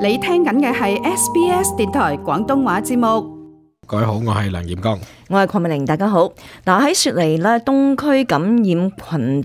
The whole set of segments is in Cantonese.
你聽緊嘅係 SBS 電台廣東話節目。各位好，我係梁炎剛，我係鄺美玲，大家好。嗱，喺雪梨咧東區感染群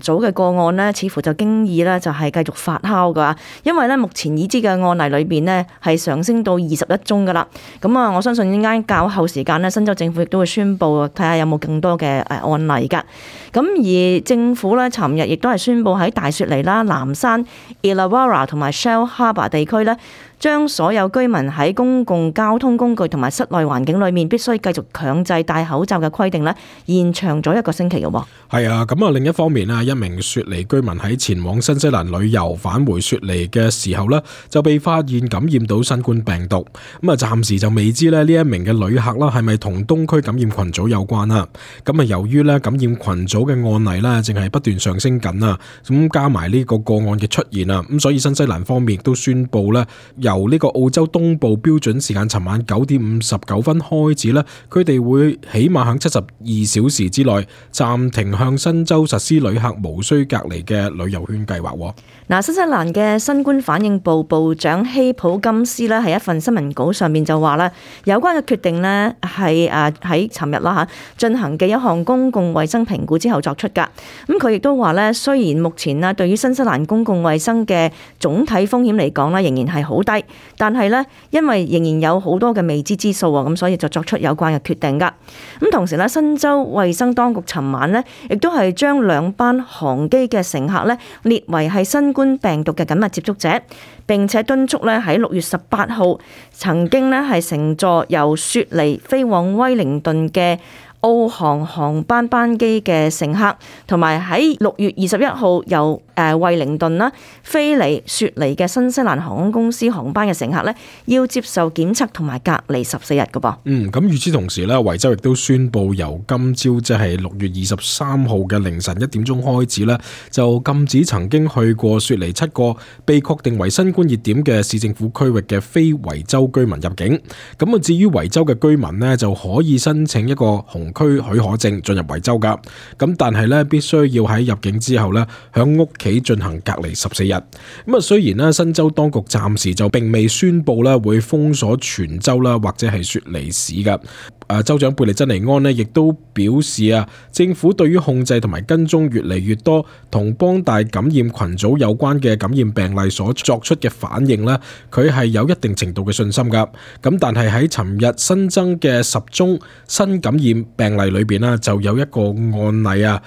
組嘅個案呢，似乎就經已咧就係繼續發酵噶，因為咧目前已知嘅案例裏邊呢，係上升到21宗噶啦。咁啊，我相信呢間較後時間呢，新州政府亦都會宣布睇下有冇更多嘅案例噶。咁而政府咧尋日亦都係宣布喺大雪梨啦、南山、Illawarra 同埋 Shell Harbour 地區咧，將所有居民喺公共交通工具同埋室內環境裏面必須繼續強制戴口罩嘅規定咧，延長咗1個星期嘅喎。係啊，咁啊另一方面啊，一名雪梨居民喺前往新西蘭旅遊返回雪梨嘅時候呢，就被發現感染到新冠病毒。咁啊，暫時就未知咧呢一名嘅旅客啦係咪同東區感染群組有關啦。咁啊，由於咧感染群組嘅案例呢，正係不斷上升緊啊，咁加埋呢個個案嘅出現啊，咁所以新西蘭方面亦都宣布咧，由呢個澳洲東部標準時間尋晚9點59分開始咧，佢哋會起碼喺72小時之內暫停向新州實施旅客無需隔離嘅旅遊圈計劃。嗱，新西蘭嘅新冠反應部部長希普金斯咧喺一份新聞稿上面就話咧，有關嘅決定咧係喺尋日啦進行嘅一項公共衛生評估之後作出㗎。咁佢亦都話咧，雖然目前啊對於新西蘭公共衛生嘅總體風險嚟講咧仍然係好低，但係咧因為仍然有好多嘅未知之數啊，咁所以就作出有關嘅決定㗎。咁同時咧，新州衛生當局尋晚咧亦都係將2班航機嘅乘客咧列為係新冠病毒嘅緊密接觸者，並且敦促咧喺6月18號曾經咧係乘坐由雪梨飛往威靈頓嘅澳航航班班機嘅乘客，同埋喺6月21號由惠靈頓啦飛嚟雪梨嘅新西蘭航空公司航班嘅乘客咧，要接受檢測同埋隔離14日㗎噃。咁與此同時咧，維州亦都宣布由今朝即係6月23號嘅凌晨1點鐘開始咧，就禁止曾經去過雪梨7個被確定為新冠熱點嘅市政府區域嘅非維州居民入境。咁啊，至於維州嘅居民呢，就可以申請一個紅區許可證進入維州噶。咁但係咧，必須要喺入境之後咧，響屋企進行隔離14日。咁啊，雖然咧新州當局暫時就並未宣布咧會封鎖全州啦，或者係雪梨市噶。州長貝利珍尼安呢亦都表示啊，政府對於控制同埋跟蹤越嚟越多同邦大感染群組有關嘅感染病例所作出嘅反應呢，佢係有一定程度嘅信心噶。咁但係喺尋日新增嘅10宗新感染病例裏邊呢，就有一個案例啊，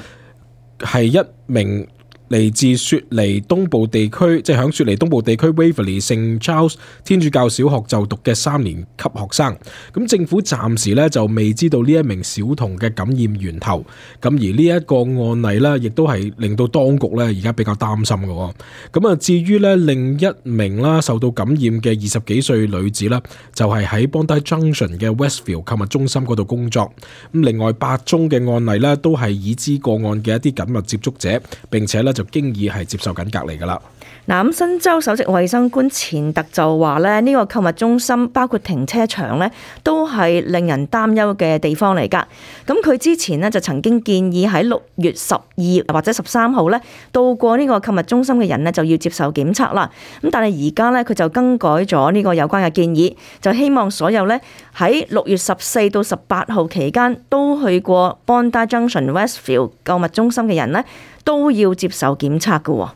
係一名嚟自雪梨東部地區，即係響雪梨東部地區 Waverley St Charles 天主教小學就讀嘅3年級學生。咁政府暫時咧就未知道呢一名小童嘅感染源頭。咁而呢一個案例咧，亦都係令到當局咧而家比較擔心嘅。咁啊，至於咧另一名啦受到感染嘅20幾歲女子啦，就係喺 Bondi Junction 嘅 Westfield 購物中心嗰度工作。咁另外8宗嘅案例咧，都係已知個案嘅一啲緊密接觸者，並且咧就經已係接受緊隔離噶啦。嗱，咁新州首席衛生官錢特就話咧，呢個購物中心包括停車場咧，都係令人擔憂嘅地方嚟噶。咁佢之前呢，就曾經建議喺6月12或者13號咧到過呢個購物中心嘅人呢，就要接受檢測啦。咁但係而家咧佢就更改咗呢個有關嘅建議，就希望所有咧喺6月14到18號期間都去過 Bondi Junction Westfield 購物中心嘅人呢，都要接受檢測㗎喎。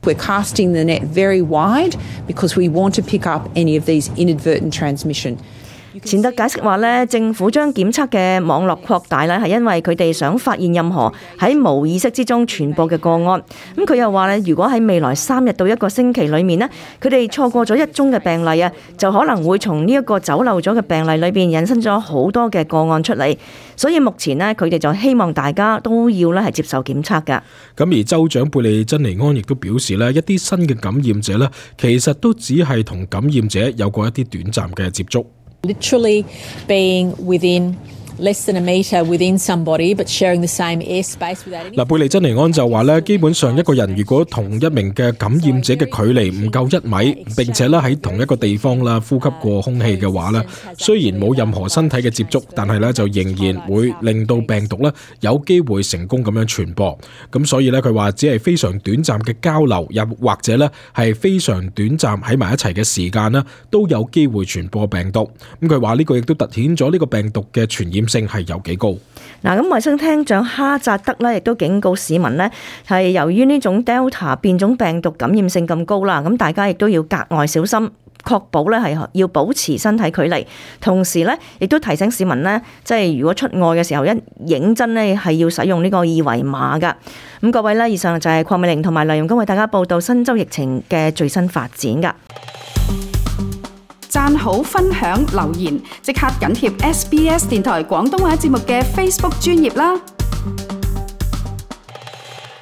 We're casting the net very wide because we want to pick up any of these inadvertent transmission. 錢特解釋話咧，政府將檢測嘅網絡擴大咧，係因為佢哋想發現任何喺無意識之中傳播嘅個案。咁佢又話咧，如果喺未來3日到1個星期裏面呢，佢哋錯過咗1宗嘅病例啊，就可能會從呢一個走漏咗嘅病例裏邊引申咗好多嘅個案出嚟。所以目前呢，佢哋就希望大家都要咧係接受檢測㗎。咁而州長貝利珍尼安亦都表示咧，一啲新嘅感染者咧，其實都只係同感染者有過一啲短暫嘅接觸。Literally being within less than a metre within somebody but sharing the same airspace without any...貝利珍尼安就話咧，基本上一個人如果同一名嘅感染者嘅距離唔夠1米，並且咧喺同一個地方啦呼吸過空氣嘅話咧，雖然冇任何身體嘅接觸，但係咧就仍然會令到病毒咧有機會成功咁樣傳播。咁所以咧佢話只係非常短暫嘅交流，又或者咧係非常短暫喺埋一齊嘅時間咧，都有機會傳播病毒。咁佢話呢個亦都凸顯咗呢個病毒嘅傳染性係有幾高。嗱，咁衛生廳長哈扎德咧，亦都警告市民呢，係由於呢種 Delta 變種病毒感染性咁高啦，咁大家亦都要格外小心，確保咧係要保持身體距離，同時咧亦都提醒市民呢，即係如果出外嘅時候一認真咧係要使用呢個二維碼噶。咁各位呢，以上就係鄺美玲同埋黎容剛為大家報道新州疫情嘅最新發展噶。讚好、分享、留言，即刻緊貼SBS 電台廣東話節目嘅 Facebook 專頁啦！